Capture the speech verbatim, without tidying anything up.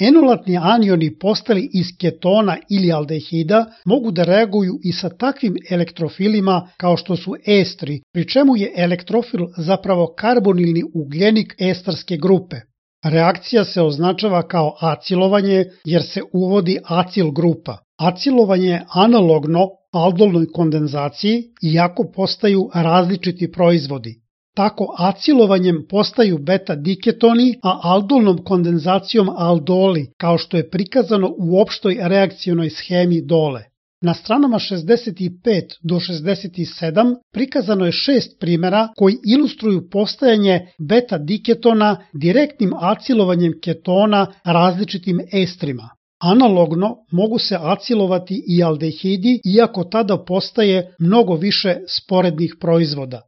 Enolatni anioni postali iz ketona ili aldehida mogu da reaguju i sa takvim elektrofilima kao što su estri, pri čemu je elektrofil zapravo karbonilni ugljenik estarske grupe. Reakcija se označava kao acilovanje jer se uvodi acil grupa. Acilovanje je analogno aldolnoj kondenzaciji iako postaju različiti proizvodi. Tako acilovanjem postaju beta-diketoni, a aldolnom kondenzacijom aldoli, kao što je prikazano u opštoj reakcionoj shemi dole. Na stranama šezdeset pet do šezdeset sedam prikazano je šest primera koji ilustruju postajanje beta-diketona direktnim acilovanjem ketona različitim estrima. Analogno mogu se acilovati i aldehidi, iako tada postaje mnogo više sporednih proizvoda.